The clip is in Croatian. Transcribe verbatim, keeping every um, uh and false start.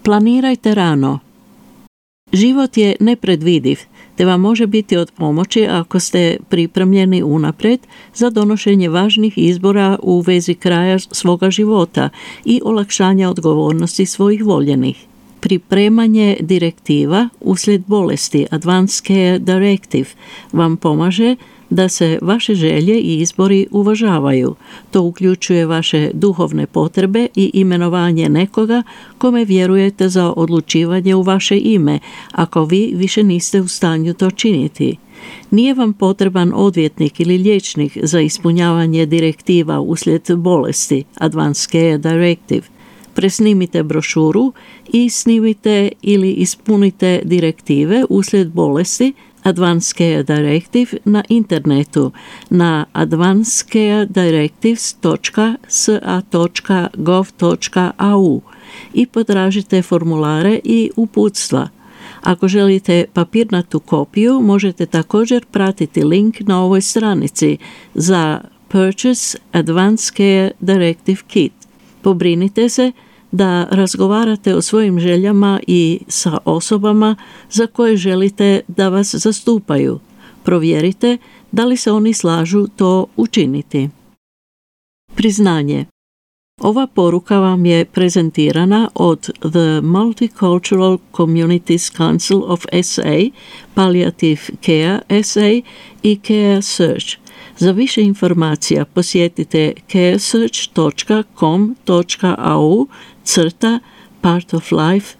Planirajte rano. Život je nepredvidiv, te vam može biti od pomoći ako ste pripremljeni unaprijed za donošenje važnih izbora u vezi kraja svoga života i olakšanja odgovornosti svojih voljenih. Pripremanje direktiva uslijed bolesti Advanced Care Directive vam pomaže da se vaše želje i izbori uvažavaju. To uključuje vaše duhovne potrebe i imenovanje nekoga kome vjerujete za odlučivanje u vaše ime, ako vi više niste u stanju to činiti. Nije vam potreban odvjetnik ili liječnik za ispunjavanje direktiva uslijed bolesti Advanced Care Directive. Presnimite brošuru i snimite ili ispunite direktive uslijed bolesti Advanced Care Directive na internetu na advanced care directives dot s a dot gov dot a u i potražite formulare i uputstva. Ako želite papirnatu kopiju, možete također pratiti link na ovoj stranici za Purchase Advanced Care Directive Kit. Pobrinite se da razgovarate o svojim željama i sa osobama za koje želite da vas zastupaju. Provjerite da li se oni slažu to učiniti. Priznanje. Ova poruka vam je prezentirana od The Multicultural Communities Council of S A, Palliative Care S A i Care Search. Za više informacija posjetite care search dot com dot a u crta part of life.